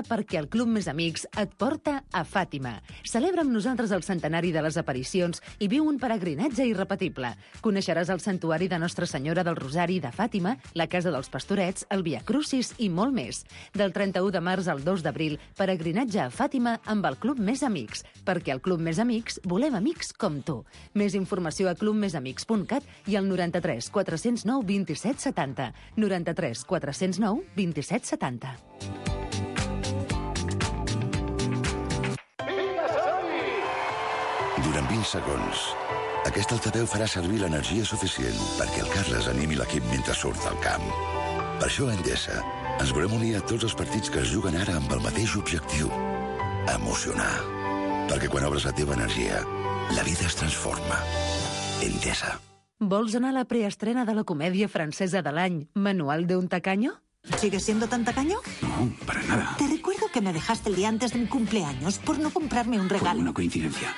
perquè el Club Més Amics et porta a Fàtima. Celebra amb nosaltres el centenari de les aparicions i viu un peregrinatge irrepetible. Coneixeràs el santuari de Nostra Senyora del Rosari de Fàtima, la Casa dels Pastorets, el Via Crucis i molt més. Del 31 de març al 2 d'abril, peregrinatge a Fàtima amb el Club Més Amics, perquè al Club Més Amics volem amics com tu. Més informació a clubmesamics.cat i al 93 409 27 70. 93 409 27 70. Durant 20 segons, aquest altaveu farà servir l'energia suficient perquè el Carles animi l'equip mentre surt al camp. Per això a Endesa ens volem unir a tots els partits que es juguen ara amb el mateix objectiu: emocionar. Perquè quan obres la teva energia, la vida es transforma. Endesa. Vols anar a la preestrena de la comèdia francesa de l'any, Manual de un tacaño? ¿Sigues siendo tan tacaño? No, para nada. Te recuerdo que me dejaste el día antes de mi cumpleaños por no comprarme un regalo. Por una coincidencia.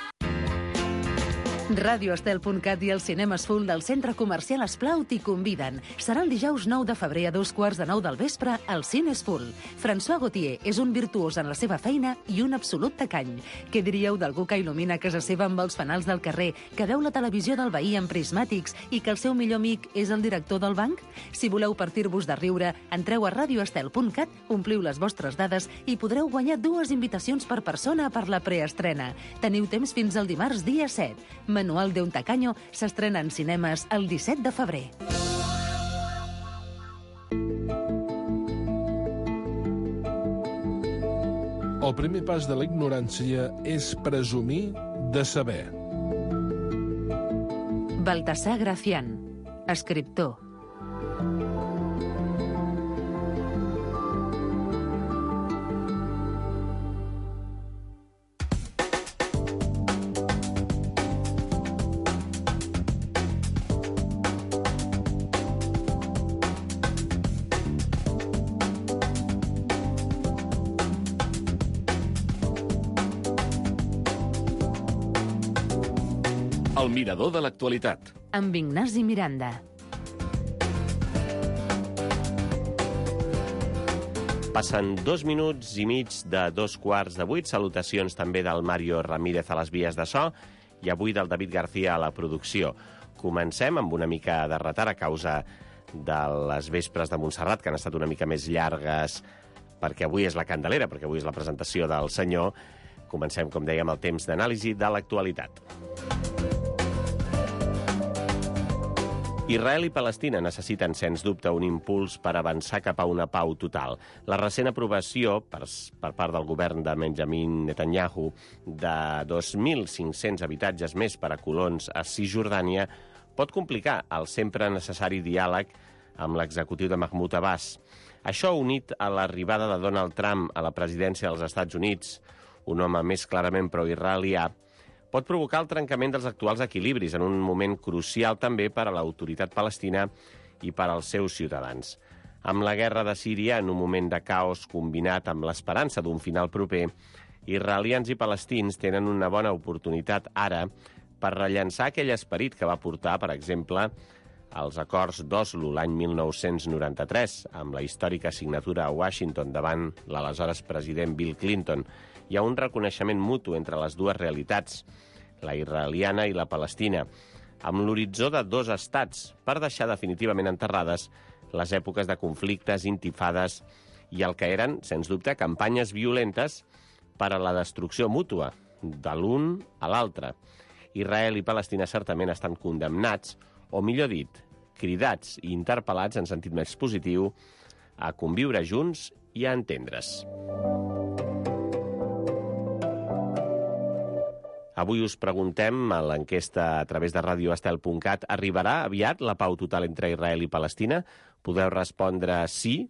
Radioestel.cat i els cinemes full del Centre Comercial Esplao t'hi conviden. Serà el dijous 9 de febrer a 2:15 del vespre al Cines Full. François Gauthier és un virtuós en la seva feina i un absolut tacany. Què diríeu d'algú que il·lumina casa seva amb els fanals del carrer, que veu la televisió del veí amb prismàtics i que el seu millor amic és el director del banc? Si voleu partir-vos de riure, entreu a radioestel.cat, ompliu les vostres dades i podreu guanyar 2 invitacions per persona per la preestrena. Teniu temps fins al dimarts dia 7. Manual de un tacaño s'estrena en cinemes el 17 de febrer. El primer pas de la ignorància és presumir de saber. Baltasar Gracián, escriptor. El mirador de l'actualitat. Amb Ignasi Miranda. Passen 2 minuts i mig de 7:15. Salutacions també del Mario Ramírez a les vies de so i avui del David García a la producció. Comencem amb una mica de retard a causa de les vespres de Montserrat, que han estat una mica més llargues, perquè avui és la Candelera, perquè avui és la presentació del senyor. Comencem, com dèiem, el temps d'anàlisi de l'actualitat. Israel i Palestina necessiten, sens dubte, un impuls per avançar cap a una pau total. La recent aprovació, per part del govern de Benjamin Netanyahu, de 2.500 habitatges més per a colons a Cisjordània pot complicar el sempre necessari diàleg amb l'executiu de Mahmoud Abbas. Això, unit a l'arribada de Donald Trump a la presidència dels Estats Units, un home més clarament pro-israelià, pot provocar el trencament dels actuals equilibris en un moment crucial també per a l'autoritat palestina i per als seus ciutadans. Amb la guerra de Síria, en un moment de caos combinat amb l'esperança d'un final proper, israelians i palestins tenen una bona oportunitat ara per rellançar aquell esperit que va portar, per exemple, als acords d'Oslo l'any 1993, amb la històrica signatura a Washington davant l'aleshores president Bill Clinton, hi ha un reconeixement mutu entre les dues realitats, la israeliana i la palestina, amb l'horitzó de 2 estats, per deixar definitivament enterrades les èpoques de conflictes, intifades i el que eren, sens dubte, campanyes violentes per a la destrucció mútua de l'un a l'altre. Israel i Palestina certament estan condemnats, o millor dit, cridats i interpel·lats en sentit més positiu, a conviure junts i a entendre's. Avui us preguntem, a l'enquesta a través de radioestel.cat, arribarà aviat la pau total entre Israel i Palestina? Podeu respondre sí,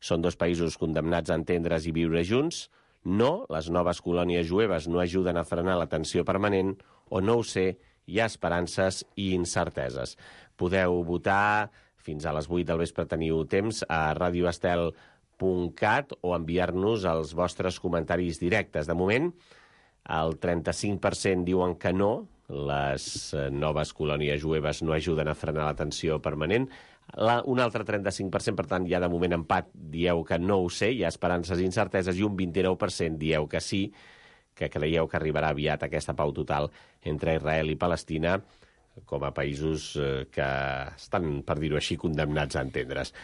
són 2 països condemnats a entendre's i viure junts, no, les noves colònies jueves no ajuden a frenar la tensió permanent, o no ho sé, hi ha esperances i incerteses. Podeu votar, fins a les 8 del vespre teniu temps, a radioestel.cat o enviar-nos els vostres comentaris directes. De moment, el 35% diuen que no, les noves colònies jueves no ajuden a frenar la tensió permanent. Un altre 35%, per tant, ja de moment empat, dieu que no ho sé, hi ha esperances i incerteses, i un 29% dieu que sí, que creieu que arribarà aviat aquesta pau total entre Israel i Palestina, com a països que estan, per dir-ho així, condemnats a entendre's.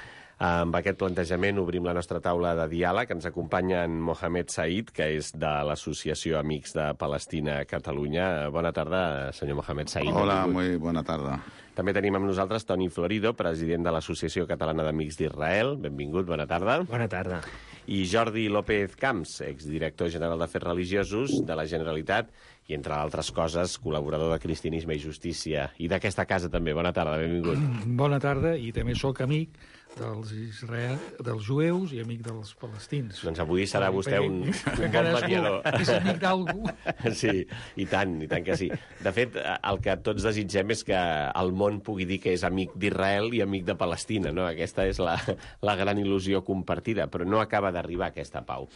Amb aquest plantejament obrim la nostra taula de diàleg. Ens acompanya en Mohamed Said, que és de l'Associació Amics de Palestina a Catalunya. Bona tarda, senyor Mohamed Said. Hola, muy buena tarda. També tenim amb nosaltres Toni Florido, president de l'Associació Catalana d'Amics d'Israel. Benvingut, bona tarda. Bona tarda. I Jordi López Camps, exdirector general d'Afers Religiosos de la Generalitat i, entre altres coses, col·laborador de Cristianisme i Justícia i d'aquesta casa també. Bona tarda, benvingut. Bona tarda, i també sóc amic dels jueus i amic dels palestins. Doncs avui serà vostè un bon mediador. És amic d'algú. Sí, i tant que sí. De fet, el que tots desitgem és que el món pugui dir que és amic d'Israel i amic de Palestina, no? Aquesta és la gran il·lusió compartida, però no acaba d'arribar aquesta pau.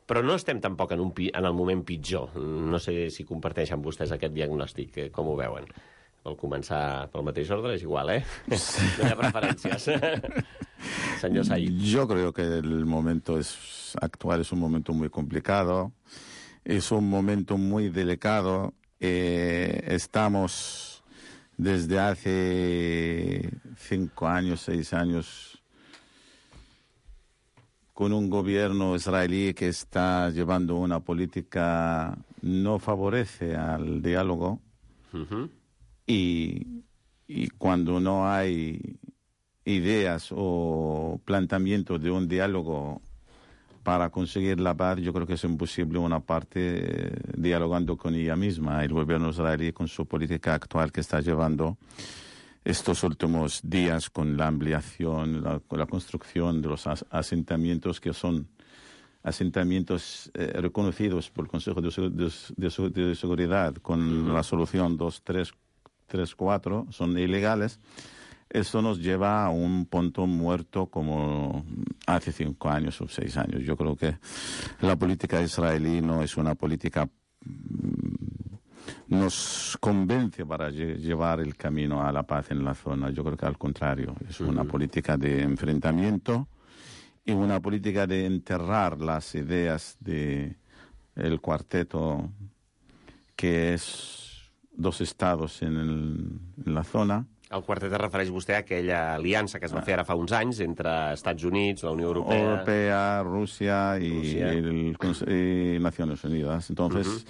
Però no estem tampoc en el moment pitjor. No sé si comparteixen vostès aquest diagnòstic, com ho veuen. Vol començar pel mateix ordre? És igual, ¿eh? No hi ha preferències. Señor Said. Yo creo que el momento actual es un momento muy complicado, es un momento muy delicado. Estamos desde hace 5 años, 6 años, con un gobierno israelí que está llevando una política no favorece al diálogo. Uh-huh. Y cuando no hay ideas o planteamientos de un diálogo para conseguir la paz, yo creo que es imposible una parte dialogando con ella misma. El gobierno israelí, con su política actual que está llevando estos últimos días, con la ampliación, con la construcción de los asentamientos que son asentamientos reconocidos por el Consejo de Seguridad con la resolución 2334, son ilegales. Eso nos lleva a un punto muerto como hace 5 años o 6 años. Yo creo que la política israelí no es una política nos convence para llevar el camino a la paz en la zona. Yo creo que al contrario, es una política de enfrentamiento y una política de enterrar las ideas del cuarteto, que es 2 estados en la zona. El quartet es refereix vostè a aquella aliança que es va fer ara fa uns anys entre Estats Units, la Unió Europea... Rusia y Naciones Unidas. Entonces,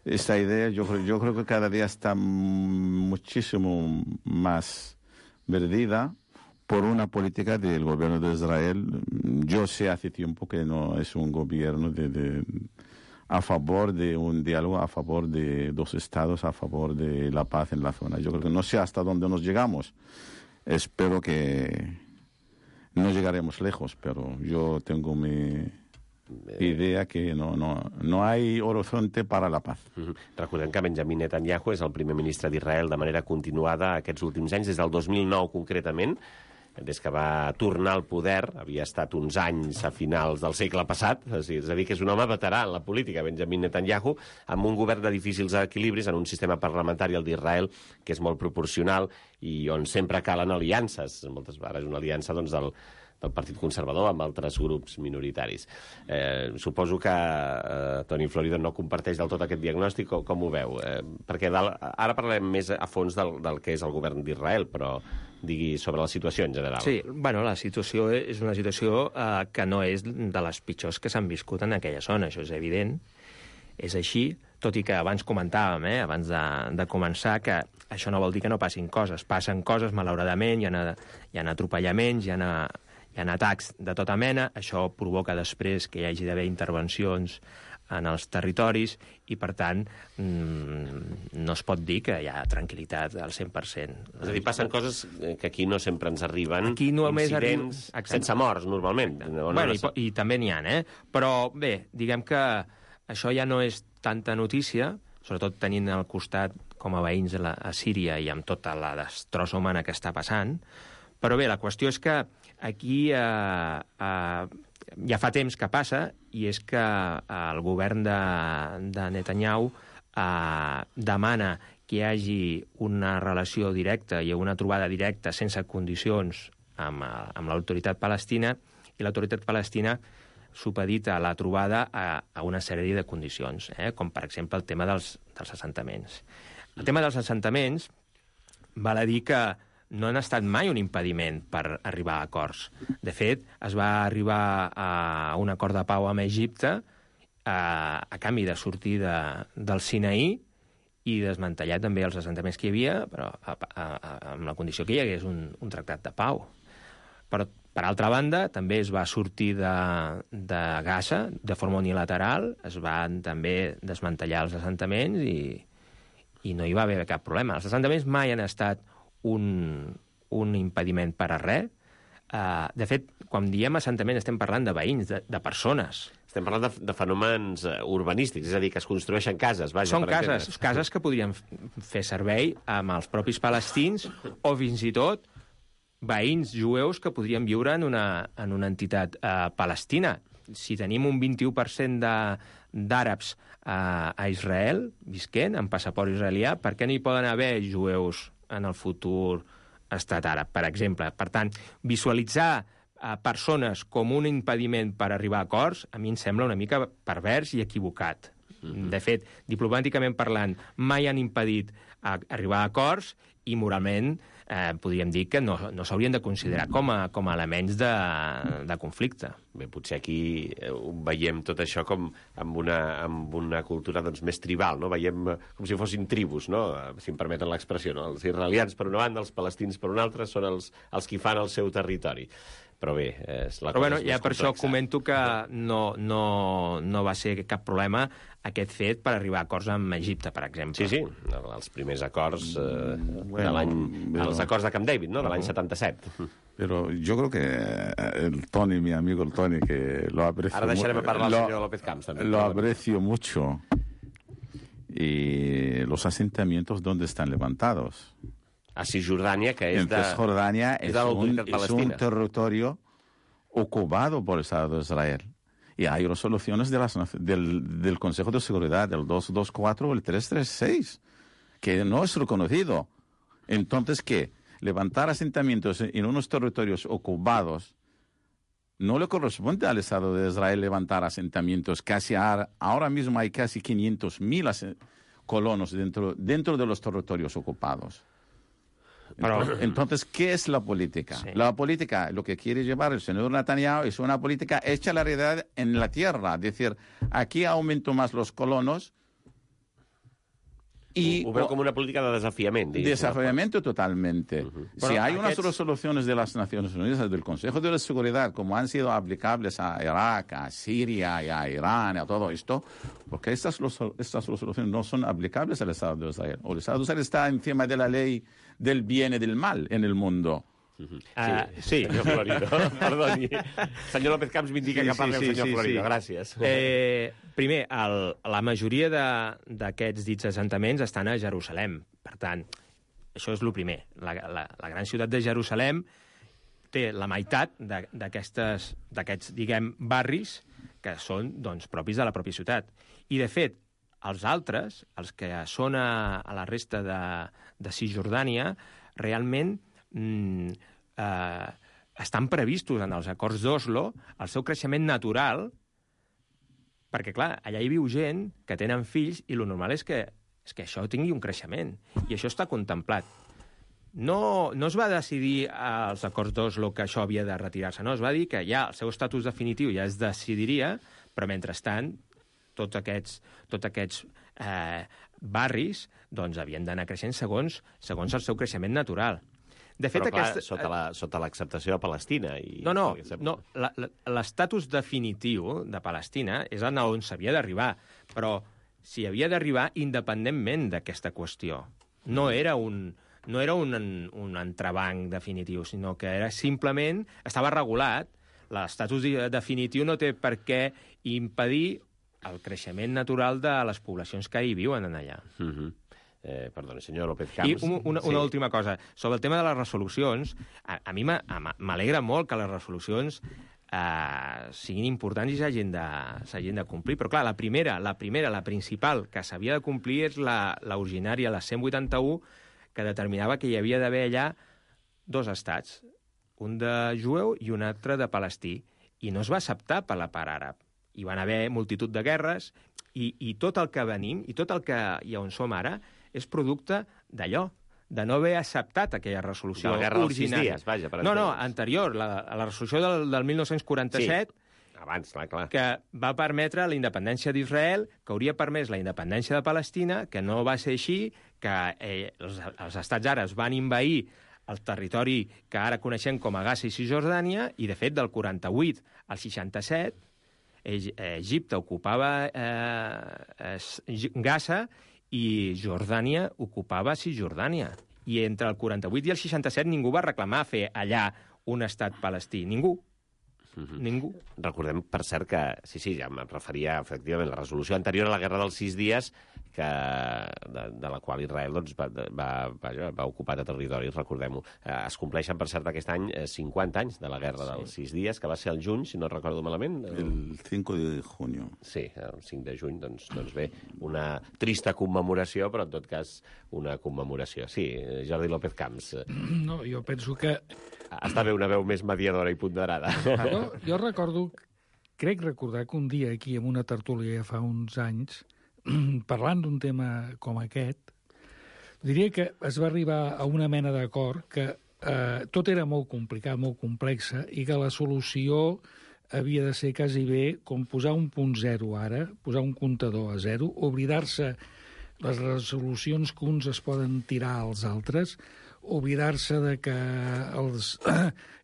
esta idea yo creo que cada día está muchísimo más perdida por una política del gobierno de Israel. Yo sé hace tiempo que no es un gobierno a favor de un diálogo, a favor de 2 estados, a favor de la paz en la zona. Yo creo que no sé hasta dónde nos llegamos. Espero que no llegaremos lejos, pero yo tengo mi idea que no hay horizonte para la paz. Recordem que Benjamin Netanyahu és el primer ministre d'Israel de manera continuada aquests últims anys, des del 2009 concretament, des que va tornar al poder. Havia estat uns anys a finals del segle passat, és a dir, que és un home veterà en la política, Benjamin Netanyahu, amb un govern de difícils equilibris, en un sistema parlamentari, el d'Israel, que és molt proporcional i on sempre calen aliances. Moltes vegades una aliança doncs, del Partit Conservador amb altres grups minoritaris. Suposo que Toni Florido no comparteix del tot aquest diagnòstic, com ho veu? Perquè ara parlem més a fons del que és el govern d'Israel, però digui sobre la situació en general. Sí, bueno, la situació és una situació que no és de les pitjors que s'han viscut en aquella zona, això és evident, és així, tot i que abans comentàvem, abans de començar, que això no vol dir que no passin coses. Passen coses, malauradament, hi ha atropellaments, hi ha atacs de tota mena, això provoca després que hi hagi d'haver intervencions en els territoris i, per tant, no es pot dir que hi ha tranquil·litat al 100%. És a dir, passen coses que aquí no sempre ens arriben, aquí incidents sense morts, normalment. I també n'hi ha, Però, bé, diguem que això ja no és tanta notícia, sobretot tenint al costat com a veïns a Síria i amb tota la destrossa humana que està passant. Però bé, la qüestió és que aquí ja fa temps que passa, i és que el govern de Netanyahu demana que hi hagi una relació directa i una trobada directa sense condicions amb l'autoritat palestina, i l'autoritat palestina supedita la trobada a una sèrie de condicions, com per exemple el tema dels assentaments. El tema dels assentaments val a dir que no han estat mai un impediment per arribar a acords. De fet, es va arribar a un acord de pau amb Egipte a canvi de sortir del Sinaí i desmantellar també els assentaments que hi havia, però amb la condició que hi hagués un tractat de pau. Però, per altra banda, també es va sortir de Gaza de forma unilateral, es van també desmantellar els assentaments i no hi va haver cap problema. Els assentaments mai han estat un impediment per a res. De fet, quan diem assentament estem parlant de veïns, de persones. Estem parlant de fenòmens urbanístics, és a dir, que es construeixen cases. Vaja, són cases que podrien fer servei amb els propis palestins o fins i tot veïns jueus que podrien viure en una entitat palestina. Si tenim un 21% d'àrabs a Israel visquent amb passaport israelià, per què no hi poden haver jueus en el futur estat àrab, per exemple? Per tant, visualitzar persones com un impediment per arribar a acords, a mi em sembla una mica pervers i equivocat. De fet, diplomàticament parlant, mai han impedit arribar a acords i moralment podríem dir que no s'haurien de considerar com a elements de conflicte. Bé, potser aquí veiem tot això com amb una cultura doncs, més tribal, no? Veiem com si fossin tribus, no? Si em permeten l'expressió, no? Els israelians per una banda, els palestins per una altra, són els qui fan el seu territori. Però bé, la cosa és més ja per complexa. això comento que no va ser cap problema aquest fet per arribar a acords amb Egipte, per exemple. Sí, els primers acords de l'any... Els acords de Camp David, no?, de l'any 77. Pero yo creo que el Tony, mi amigo el Tony, que lo aprecio... Ara deixarem parlar al senyor López Camps, també. Lo aprecio mucho. Y los asentamientos, ¿dónde están levantados? A Cisjordània, que és en Cisjordània és un territorio ocupado por el Estado de Israel. Y hay resoluciones del Consejo de Seguridad, del 224 o el 336, que no es reconocido. Entonces, ¿qué? Levantar asentamientos en unos territorios ocupados no le corresponde al Estado de Israel levantar asentamientos. Ahora mismo hay casi 500.000 colonos dentro de los territorios ocupados. Entonces, ¿qué es la política? Sí. La política, lo que quiere llevar el señor Netanyahu es una política hecha la realidad en la tierra. Es decir, aquí aumento más los colonos y... Ho veu com una política de desafiament. Desafiamiento totalmente. Si hay unas resoluciones de las Naciones Unidas, del Consejo de Seguridad, como han sido aplicables a Irak, a Siria y a Irán, a todo esto, porque estas resoluciones no son aplicables al Estado de Israel. O el Estado de Israel está encima de la ley del bien y del mal en el mundo. Sí, senyor Florido, perdoni. Senyor López Camps m'indica que parli el senyor Florido, gràcies. Primer, la majoria d'aquests dits assentaments estan a Jerusalem. Per tant, això és el primer. La gran ciutat de Jerusalem té la meitat d'aquests, diguem, barris que són doncs, propis de la pròpia ciutat. I, de fet, els altres, els que són a la resta de Cisjordània, realment estan previstos en els acords d'Oslo el seu creixement natural, perquè, clar, allà hi viu gent que tenen fills i el normal és que això tingui un creixement, i això està contemplat. No es va decidir als acords d'Oslo que això havia de retirar-se, no, es va dir que ja el seu estatus definitiu ja es decidiria, però mentrestant tots aquests barris doncs, havien d'anar creixent segons el seu creixement natural. De fet, però, clar, sota l'acceptació de Palestina. No, l'estatus definitiu de Palestina és on s'havia d'arribar, però s'hi havia d'arribar independentment d'aquesta qüestió. No era un entrebanc definitiu, sinó que era simplement, estava regulat, l'estatus definitiu no té per què impedir el creixement natural de les poblacions que hi viuen allà. Perdoni, senyor López Camps. I una última cosa. Sobre el tema de les resolucions, a mi m'alegra molt que les resolucions siguin importants i s'hagin de complir. Però, clar, la principal que s'havia de complir és l'originària, la 181, que determinava que hi havia d'haver allà dos estats, un de jueu i un altre de palestí, i no es va acceptar per la part àrab. Hi van haver multitud de guerres, i tot el que venim, i tot el que hi on som ara, és producte d'allò, de no haver acceptat aquella resolució originària. De la guerra dels 6 dies, vaja, per entendre's. No, anterior, la resolució del 1947... Sí. Abans, clar. Que va permetre la independència d'Israel, que hauria permès la independència de Palestina, que no va ser així, que els estats àrabs van envair el territori que ara coneixem com a Gaza i Cisjordània, i, de fet, del 48 al 67, Egipte ocupava Gaza i Jordània ocupava Cisjordània. I entre el 48 i el 67 ningú va reclamar fer allà un estat palestí. Ningú. Ningú. Recordem, per cert, que, sí, ja em referia, efectivament, la resolució anterior a la Guerra dels 6 dies, de la qual Israel va ocupar de territori, recordem-ho. Es compleixen, per cert, aquest any 50 anys de la Guerra dels 6 dies, que va ser el juny, si no recordo malament. El 5 de junio. Sí, el 5 de juny, doncs bé, una trista commemoració, però en tot cas una commemoració. Sí, Jordi López Camps. No, jo penso que... Està bé una veu més mediadora i ponderada. Jo recordo, crec recordar que un dia aquí, en una tertúlia fa uns anys, parlant d'un tema com aquest, diria que es va arribar a una mena d'acord que tot era molt complicat, molt complexa, i que la solució havia de ser quasi bé com posar un punt zero ara, posar un comptador a zero, oblidar-se les resolucions que uns es poden tirar als altres, oblidar-se de que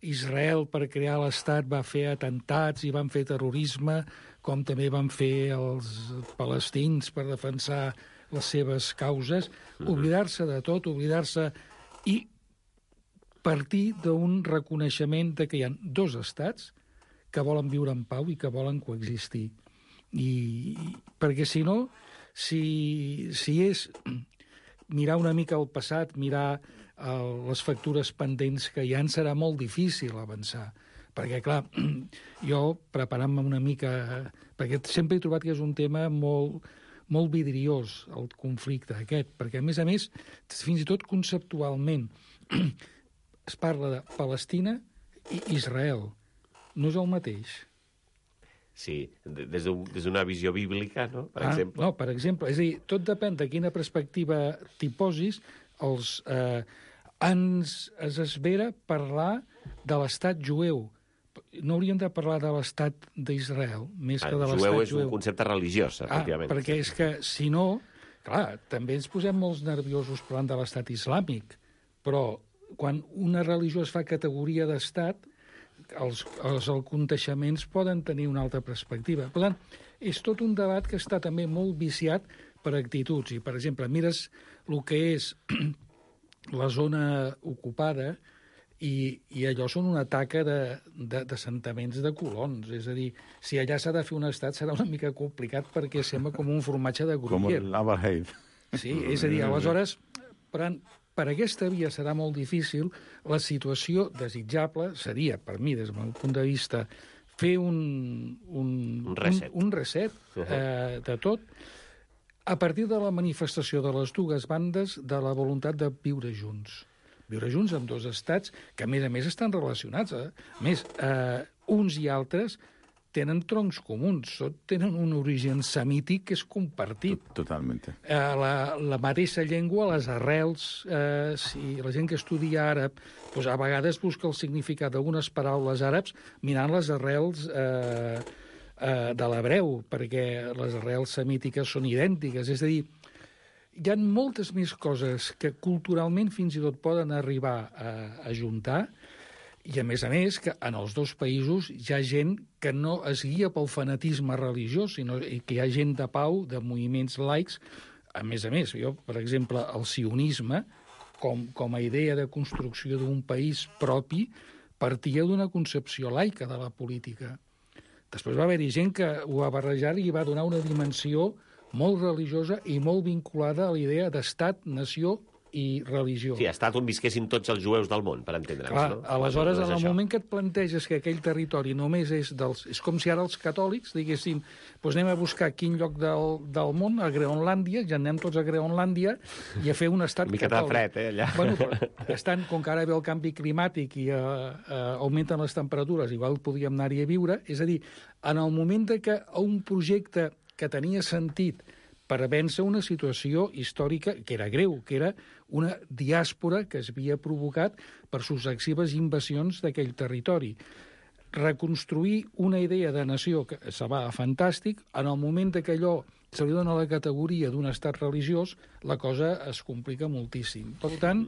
Israel, per crear l'Estat, va fer atentats i van fer terrorisme, com també van fer els palestins per defensar les seves causes, oblidar-se de tot, oblidar-se i partir d'un reconeixement de que hi ha 2 estats que volen viure en pau i que volen coexistir. Perquè si no, si és mirar una mica al passat, mirar les factures pendents que hi ha, serà molt difícil avançar. Perquè, clar, jo, preparant-me una mica... Perquè sempre he trobat que és un tema molt vidriós, el conflicte aquest, perquè, a més, fins i tot conceptualment, es parla de Palestina i Israel. No és el mateix. Sí, des d'una visió bíblica, no? Per exemple. No, per exemple. És a dir, tot depèn de quina perspectiva t'hi posis. Ens esvera parlar de l'estat jueu. No hauríem de parlar de l'estat d'Israel, més que de l'estat jueu. Jueu és un concepte religiós, efectivament. Perquè és que, si no, clar, també ens posem molts nerviosos parlant de l'estat islàmic, però quan una religió es fa categoria d'estat, els aconteixements poden tenir una altra perspectiva. Per tant, és tot un debat que està també molt viciat per actituds. I, per exemple, mires el que és la zona ocupada i allò són una taca d'assentaments de colons. És a dir, si allà s'ha de fer un estat serà una mica complicat perquè sembla com un formatge de Gruyère. Com l'Aberheid. Sí, és a dir, aleshores, per aquesta via serà molt difícil. La situació desitjable seria, per mi, des del meu punt de vista, fer un reset de tot, a partir de la manifestació de les 2 bandes de la voluntat de viure junts. Viure junts amb 2 estats que, a més, estan relacionats. A més, uns i altres tenen troncs comuns, tenen un origen semític que és compartit. Totalment. La mateixa llengua, les arrels, si la gent que estudia àrab, doncs a vegades busca el significat d'algunes paraules àrabs mirant les arrels de l'hebreu, perquè les arrels semítiques són idèntiques. És a dir, hi ha moltes més coses que culturalment fins i tot poden arribar a ajuntar, i a més, que en els 2 països hi ha gent que no es guia pel fanatisme religiós, sinó que hi ha gent de pau, de moviments laics. A més, jo, per exemple, el sionisme, com a idea de construcció d'un país propi, partia d'una concepció laica de la política. Després va haver-hi gent que ho va barrejar i va donar una dimensió molt religiosa i molt vinculada a la idea d'estat, nació i religió. Sí, ha estat on visquessin tots els jueus del món, per entendre'ns. Clar, no? aleshores, No és en el això. moment que et planteges que aquell territori només és dels... És com si ara els catòlics diguessin doncs anem a buscar quin lloc del món, a Groenlàndia, ja anem tots a Groenlàndia i a fer un estat Una miqueta de catòlic. fred, allà. Bueno, però com que ara ve el canvi climàtic i augmenten les temperatures, igual podríem anar-hi a viure, és a dir, en el moment que un projecte que tenia sentit per vèncer una situació històrica que era greu, que era una diàspora que es havia provocat per successives invasions d'aquell territori. Reconstruir una idea de nació que se va fantàstic, en el moment que allò se li dona la categoria d'un estat religiós, la cosa es complica moltíssim. Per tant...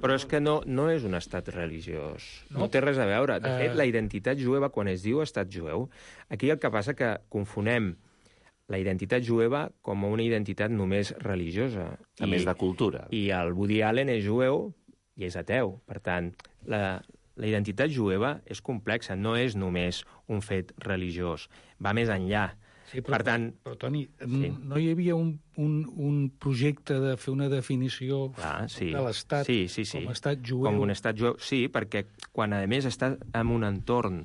Però és que no és un estat religiós. No? No té res a veure. De fet, la identitat jueva, quan es diu estat jueu, aquí el que passa que confonem la identitat jueva com una identitat només religiosa. A més de cultura. I el Woody Allen és jueu i és ateu. Per tant, la identitat jueva és complexa, no és només un fet religiós. Va més enllà. Sí, però, per tant... Però, Toni, no hi havia un projecte de fer una definició de l'Estat com a estat jueu? Com un estat jueu, sí, perquè quan, a més, està en un entorn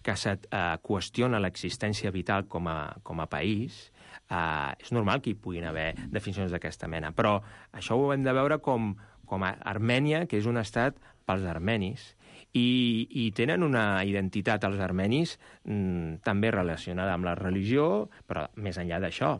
que se't qüestiona l'existència vital com a país, és normal que hi puguin haver definicions d'aquesta mena. Però això ho hem de veure com a Armènia, que és un estat pels armenis, i tenen una identitat, els armenis, també relacionada amb la religió, però més enllà d'això.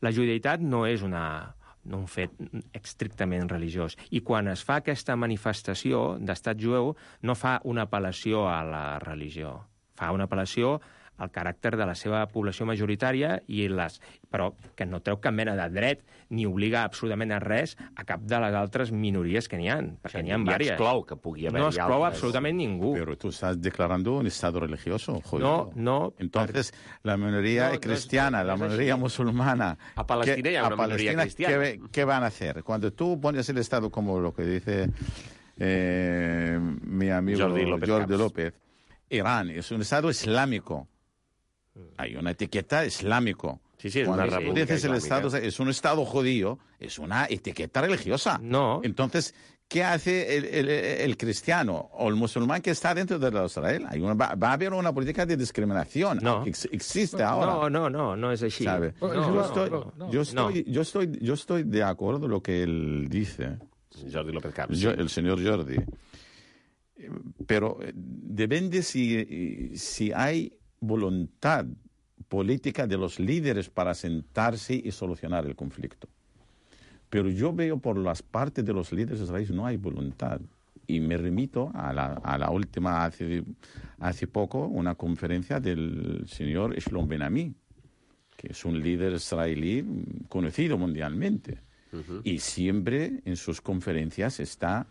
La judeïtat no és un fet estrictament religiós. I quan es fa aquesta manifestació d'estat jueu, no fa una apel·lació a la religió. Fa una apel·lació al caràcter de la seva població majoritària, però que no treu cap mena de dret ni obliga absolutament a res a cap de les altres minories que n'hi ha, perquè n'hi ha diverses. Exclou que pugui haver-hi no exclou absolutament ningú. Pero tú estás declarando un Estado religioso, jodido. No. Entonces, la minoría cristiana, la minoría musulmana... A Palestina hi ha una minoria cristiana. ¿Qué van a hacer? Cuando tú pones el Estado como lo que dice mi amigo Jordi López, Irán es un Estado islámico. Hay una etiqueta islámico. Sí, es Cuando una república dices el islámica. Estado es un Estado judío, es una etiqueta religiosa. No. Entonces, ¿qué hace el cristiano o el musulmán que está dentro de Israel? Va a haber una política de discriminación. No. Existe ahora. No és així. ¿Sabe? Yo estoy de acuerdo con lo que él dice. Jordi López Camps. El señor Jordi. Pero depende si hay voluntad política de los líderes para sentarse y solucionar el conflicto. Pero yo veo por las partes de los líderes israelíes no hay voluntad. Y me remito a la última, hace poco, una conferencia del señor Shlom Ben-Ami, que es un líder israelí conocido mundialmente. Y siempre en sus conferencias está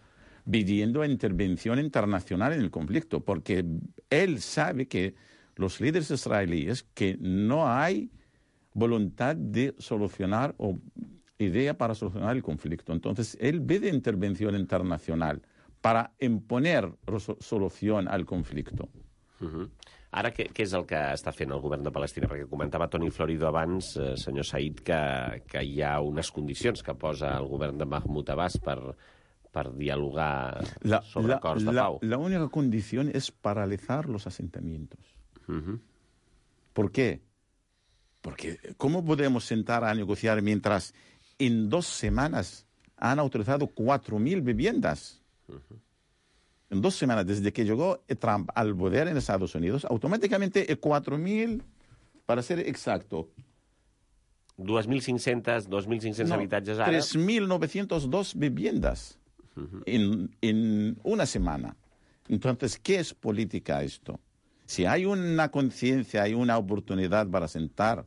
pidiendo intervención internacional en el conflicto, porque él sabe que los líderes israelíes que no hay voluntad de solucionar o idea para solucionar el conflicto. Entonces, él pide intervención internacional para imponer solución al conflicto. Ara, què és el que està fent el govern de Palestina? Perquè comentava Toni Florido abans, senyor Said, que hi ha unes condicions que posa el govern de Mahmoud Abbas per dialogar sobre acords de pau. La única condición es paralizar los asentamientos. ¿Por qué? Porque ¿cómo podemos sentar a negociar mientras en 2 semanas han autorizado 4.000 viviendas? En 2 semanas, desde que llegó Trump al poder en Estados Unidos, automáticamente 4.000, para ser exacto. 2.500 habitatges ara. 3.902 viviendas en una semana. Entonces, ¿qué es política esto? Si hay una conciencia, hay una oportunidad para sentar,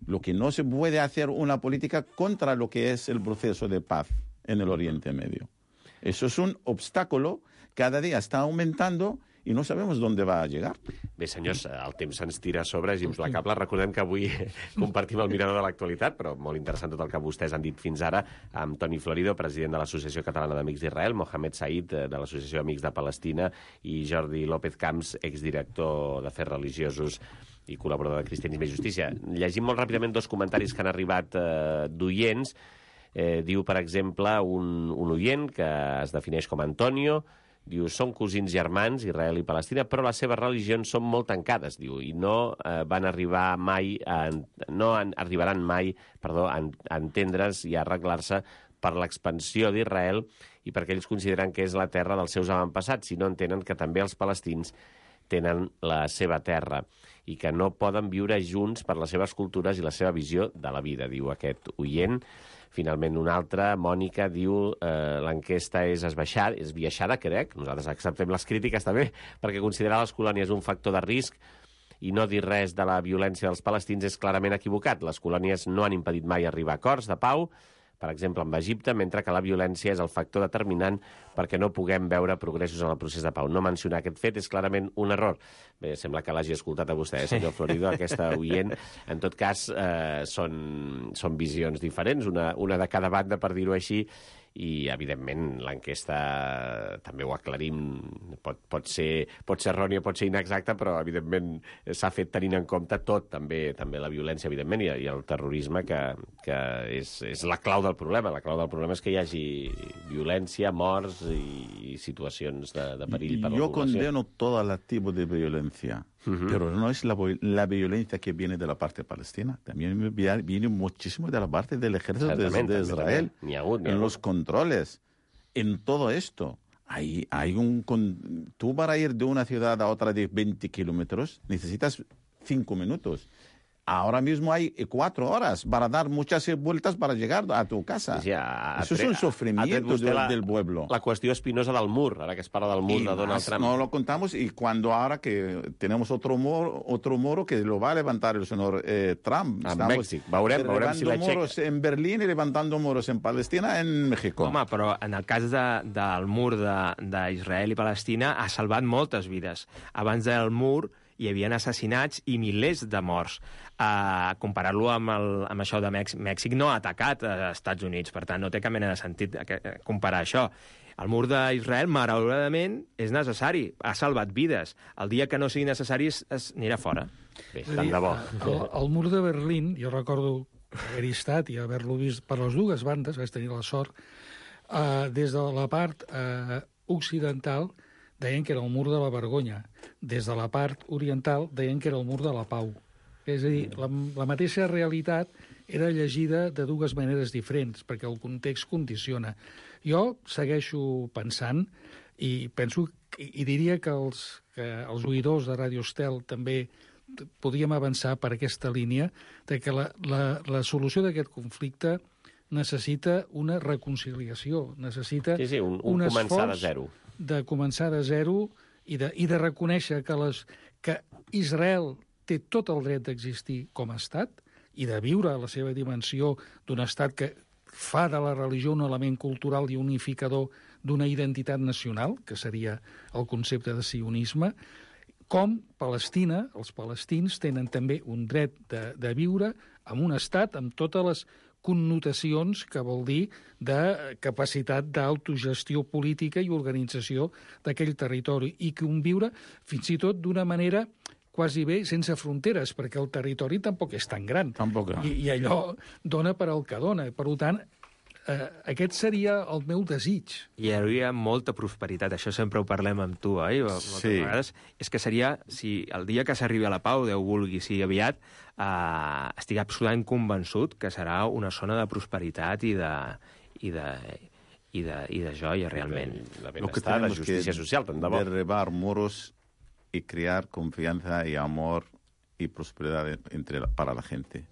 lo que no se puede hacer una política contra lo que es el proceso de paz en el Oriente Medio. Eso es un obstáculo, cada dia està augmentant i no sabem on va a llegar. Bé, senyors, el temps se'ns tira a sobre, és implacable. Recordem que avui compartim el mirador de l'actualitat, però molt interessant tot el que vostès han dit fins ara, amb Toni Florido, president de l'Associació Catalana d'Amics d'Israel, Mohamed Said, de l'Associació Amics de Palestina, i Jordi López Camps, exdirector d'Afers Religiosos i col·laborador de Cristianisme i Justícia. Llegim molt ràpidament 2 comentaris que han arribat d'oients. Diu, per exemple, un oient que es defineix com Antonio, diu, són cosins germans, Israel i Palestina, però les seves religions són molt tancades, diu, i no arribaran mai a entendre's i a arreglar-se per l'expansió d'Israel i perquè ells consideren que és la terra dels seus avantpassats, si no entenen que també els palestins tenen la seva terra i que no poden viure junts per les seves cultures i la seva visió de la vida, diu aquest oient. Finalment, una altra, Mònica, diu l'enquesta és esbiaixada, crec. Nosaltres acceptem les crítiques també, perquè considerar les colònies un factor de risc i no dir res de la violència dels palestins és clarament equivocat. Les colònies no han impedit mai arribar a acords de pau, per exemple, amb Egipte, mentre que la violència és el factor determinant perquè no puguem veure progressos en el procés de pau. No mencionar aquest fet és clarament un error. Bé, sembla que l'hagi escoltat a vostè, senyor Florido, aquesta oient. En tot cas, són visions diferents, una de cada banda, per dir-ho així, i, evidentment, l'enquesta, també ho aclarim, pot ser errònia, pot ser inexacta, però, evidentment, s'ha fet tenint en compte tot, també la violència, evidentment, i el terrorisme, que és la clau del problema. La clau del problema és que hi hagi violència, morts i situacions de perill per a la població. Yo condeno todo el tipo de violencia, pero no es la violencia que viene de la parte palestina, también viene muchísimo de la parte del ejército de Israel, en los controles, en todo esto. Tú para ir de una ciudad a otra de 20 kilómetros necesitas 5 minutos. Ahora mismo hay 4 horas para dar muchas vueltas para llegar a tu casa. Sí, Eso es un sufrimiento del pueblo. La qüestió espinosa del mur, ara que es parla del mur de Donald Trump. No lo contamos, y cuando ahora que tenemos otro muro que lo va a levantar el señor Trump. En Mèxic. Veurem si la muros en Berlín y levantando muros en Palestina, en México. Home, però en el cas del mur d'Israel i Palestina ha salvat moltes vides. Abans del mur hi havia assassinats i milers de morts. Comparar-lo amb això de Mèxic no ha atacat als Estats Units, per tant, no té cap mena de sentit comparar això. El mur d'Israel, malauradament, és necessari, ha salvat vides. El dia que no sigui necessari anirà fora. Bé, tant de bo. El mur de Berlín, jo recordo haver-hi estat i haver-lo vist per les dues bandes, vaig tenir la sort, des de la part occidental deien que era el mur de la vergonya. Des de la part oriental deien que era el mur de la pau. És a dir, la mateixa realitat era llegida de dues maneres diferents, perquè el context condiciona. Jo segueixo pensant, i diria que els oïdors de Radio Estel també podíem avançar per aquesta línia, de que la solució d'aquest conflicte necessita una reconciliació, necessita un un començar de esforç zero. de començar de zero i de reconèixer que Israel té tot el dret d'existir com a estat i de viure a la seva dimensió d'un estat que fa de la religió un element cultural i unificador d'una identitat nacional, que seria el concepte de sionisme, com Palestina, els palestins tenen també un dret de viure en un estat amb totes les connotacions que vol dir de capacitat d'autogestió política i organització d'aquell territori i conviure fins i tot d'una manera quasi bé sense fronteres, perquè el territori tampoc és tan gran. Tampoc. I allò dona per al que dona. Per tant, aquest seria el meu desig. Hi hauria molta prosperitat, això sempre ho parlem amb tu, oi? Moltes vegades. És que seria, si el dia que s'arribi a la pau, Déu vulgui, sigui aviat, estic absolutament convençut que serà una zona de prosperitat i de joia, realment. De benestar, de justícia social, tant de bo. Derribar muros y crear confianza y amor y prosperidad para la gente.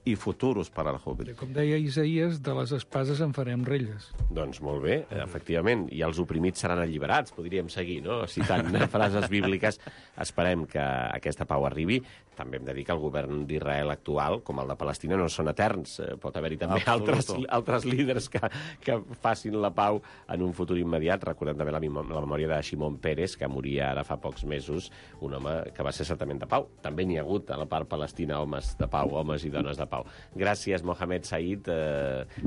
I futuros per al joven. Com deia Isaías, de les espases en farem relles. Doncs molt bé, efectivament. I els oprimits seran alliberats, podríem seguir, no? Citant frases bíbliques. Esperem que aquesta pau arribi. També hem de dir que el govern d'Israel actual, com el de Palestina, no són eterns. Pot haver-hi també altres líders que facin la pau en un futur immediat. Recordem també la memòria de Shimon Peres, que moria ara fa pocs mesos, un home que va ser certament de pau. També n'hi ha hagut a la part palestina homes de pau, homes i dones de pau. pau. Gràcies, Mohamed Said,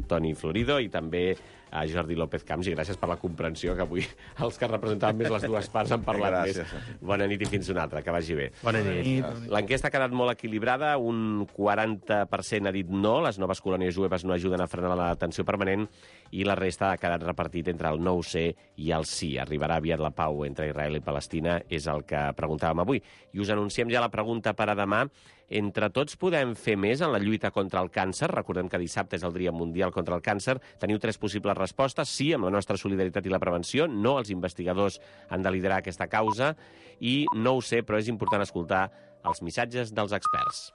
Toni Florido, i també a Jordi López Camps, i gràcies per la comprensió, que avui els que representaven més les dues parts han parlat més. Bona nit i fins una altra, que vagi bé. Bona nit. L'enquesta ha quedat molt equilibrada, un 40% ha dit no, les noves colònies jueves no ajuden a frenar la tensió permanent, i la resta ha quedat repartit entre el no ho sé i el sí. Arribarà aviat la pau entre Israel i Palestina, és el que preguntàvem avui. I us anunciem ja la pregunta per a demà. Entre tots podem fer més en la lluita contra el càncer? Recordem que dissabte és el Dia Mundial contra el Càncer. Teniu 3 possibles respostes. Sí, amb la nostra solidaritat i la prevenció. No, els investigadors han de liderar aquesta causa. I no ho sé, però és important escoltar els missatges dels experts.